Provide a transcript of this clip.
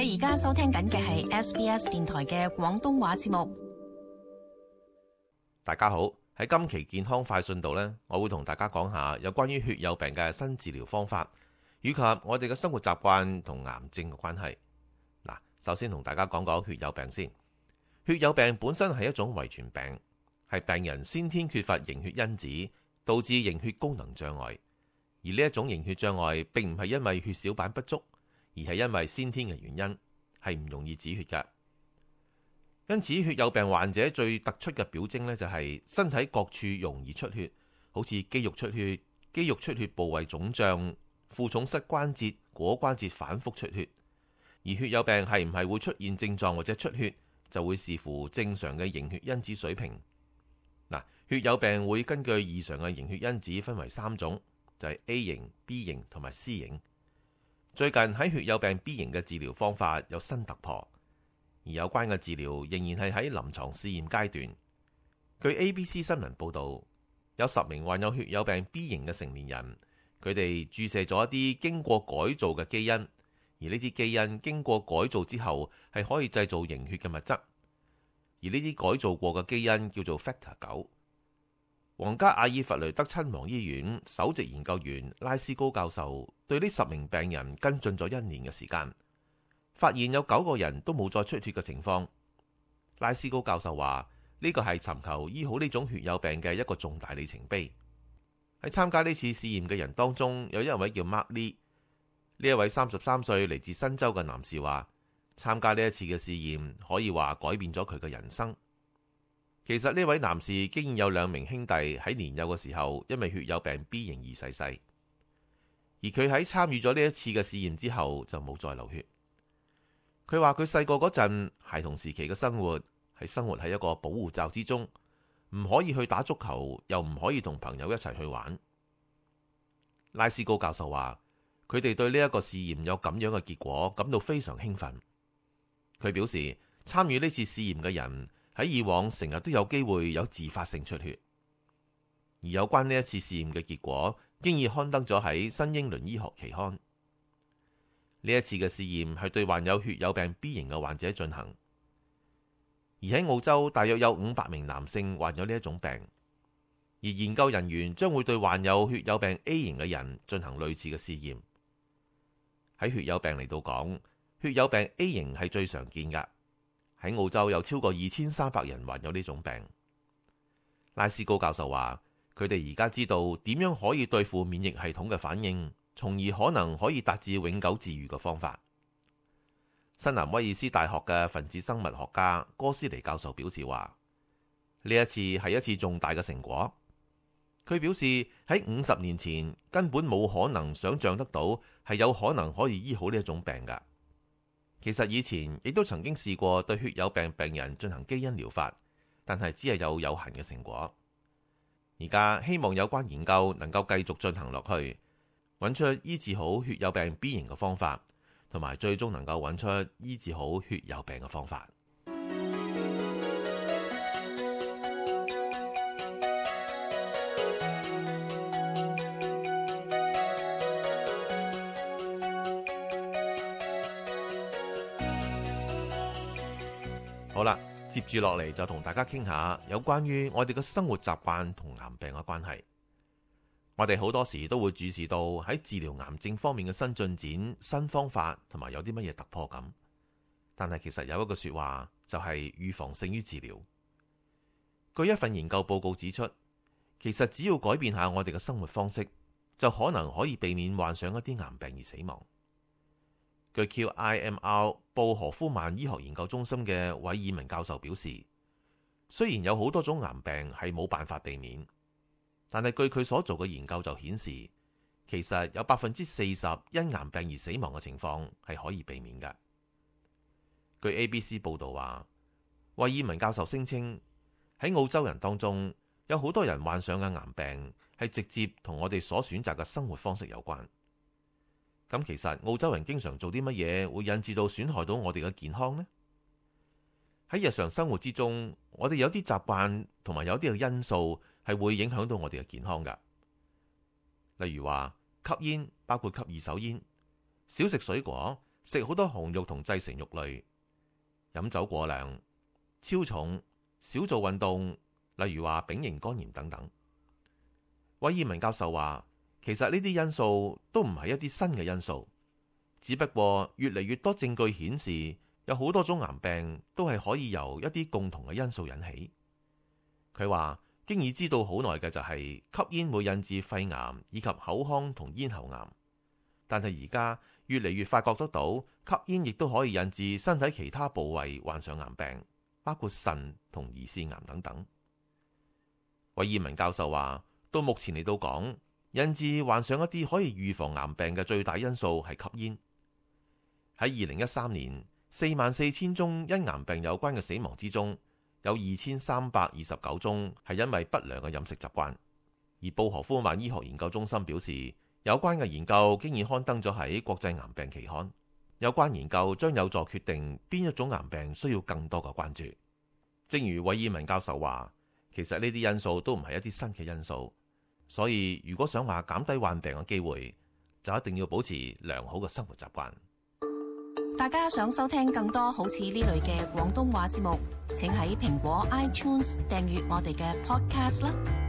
你而家收聽緊嘅係 SBS 電台嘅廣東話節目。大家好，喺今期健康快訊度呢，我會同大家講下有關於血友病嘅新治療方法，以及我哋嘅生活習慣同癌症嘅關係。嗱，首先同大家講講血友病先。血友病本身係一種遺傳病，係病人先天缺乏凝血因子，導致凝血功能障礙。而呢一種凝血障礙並唔係因為血小板不足，而係因為先天嘅原因，係唔容易止血㗎。因此，血友病患者最突出嘅表徵呢，就係身體各處容易出血，好似肌肉出血、肌肉出血部位腫脹、負重膝關節、踝關節反覆出血。而血友病係唔係會出現症狀或者出血，就會視乎正常嘅凝血因子水平。嗱，血友病會根據異常嘅凝血因子分為3種，就係 A 型、B 型同埋 C 型。最近喺血友病 B 型嘅治療方法有新突破，而有關嘅治療仍然係喺臨床試驗階段。據 ABC 新聞報導，有10名患有血友病 B 型嘅成年人，佢哋注射咗一啲經過改造嘅基因，而呢啲基因經過改造之後係可以製造凝血嘅物質，而呢啲改造過嘅基因叫做 Factor 9。皇家阿爾弗雷德親王醫院首席研究員拉斯高教授對呢10名病人跟進咗1年嘅時間，發現有9個人都冇再出血嘅情況。拉斯高教授話呢個係尋求醫好呢種血友病嘅一個重大里程碑。喺參加呢次試驗嘅人當中，有一位叫 Mark Lee， 呢一位33歲嚟自新州嘅男士話，參加呢一次嘅試驗可以話改變咗佢嘅人生。其實呢位男士竟然有2名兄弟喺年幼嘅時候因為血友病 B 型而逝世，而佢喺參與咗呢一次嘅試驗之後就冇再流血。佢話佢細個嗰陣孩童時期嘅生活係生活喺一個保護罩之中，唔可以去打足球，又唔可以同朋友一齊去玩。拉斯高教授話佢哋對呢一個試驗有咁樣嘅結果感到非常興奮。佢表示參與呢次試驗嘅人喺以往成日都有機會有自發性出血，而有關呢一次試驗嘅結果經已刊登咗喺新英倫醫學期刊。呢一次嘅試驗係對患有血友病 B 型嘅患者進行，而喺澳洲大約有500名男性患有呢一種病，而研究人員將會對患有血友病 A 型嘅人進行類似嘅試驗。喺血友病嚟到講，血友病 A 型係最常見㗎。喺澳洲有超過2300人患有呢種病。拉斯高教授話佢哋而家知道點樣可以對付免疫系統嘅反應，從而可能可以達至永久治癒嘅方法。新南威爾斯大學嘅分子生物學家哥斯尼教授表示話，呢一次係一次重大嘅成果。佢表示喺50年前根本冇可能想象得到係有可能可以醫好呢一種病㗎。其實以前亦都曾經試過對血友病病人進行基因療法，但係只係有限嘅成果。而家希望有關研究能夠繼續進行落去，揾出醫治好血友病 B 型嘅方法，同埋最終能夠揾出醫治好血友病嘅方法。好啦，接住落嚟就同大家傾下有關於我哋嘅生活習慣同癌病嘅關係。我哋好多時都會注視到喺治療癌症方面嘅新進展、新方法同埋有啲乜嘢突破咁。但係其實有一個說話就係預防勝於治療。據一份研究報告指出，其實只要改變下我哋嘅生活方式，就可能可以避免患上一啲癌病而死亡。據 QIMR 布荷夫曼醫學研究中心嘅韋爾文教授表示，雖然有好多種癌病係冇辦法避免，但係據佢所做嘅研究就顯示，其實有40%因癌病而死亡嘅情況係可以避免㗎。據 ABC 報道話，韋爾文教授聲稱喺澳洲人當中有好多人患上嘅癌病係直接同我哋所選擇嘅生活方式有關。咁其實澳洲人經常做啲乜嘢會引致到損害到我哋嘅健康呢？喺日常生活之中，我哋有啲習慣同埋有啲嘅因素係會影響到我哋嘅健康㗎。例如話吸煙，包括吸二手煙、少食水果、食好多紅肉同製成肉類，飲酒過量、超重、少做運動，例如話丙型肝炎等等。韋爾文教授話，其實呢啲因素都唔係一啲新嘅因素，只不過越嚟越多證據顯示，有好多種癌病都係可以由一啲共同嘅因素引起。佢話經已知道好耐嘅就係吸煙會引致肺癌以及口腔同咽喉癌，但係而家越嚟越發覺得到吸煙亦都可以引致身體其他部位患上癌病，包括腎同胰腺癌等等。韋爾文教授話，到目前嚟到講，引致患上一啲可以預防癌病嘅最大因素係吸煙。喺2013年，44,000宗因癌病有關嘅死亡之中，有2329宗係因為不良嘅飲食習慣。而布荷夫曼醫學研究中心表示，有關嘅研究經已刊登咗喺國際癌病期刊。有關研究將有助決定邊一種癌病需要更多嘅關注。正如韋爾文教授話，其實呢啲因素都唔係一啲新嘅因素，所以如果想話減低患病嘅機會，就一定要保持良好嘅生活習慣。大家想收聽更多好似呢類嘅廣東話節目，請喺蘋果 iTunes 訂閱我哋嘅 Podcast 啦。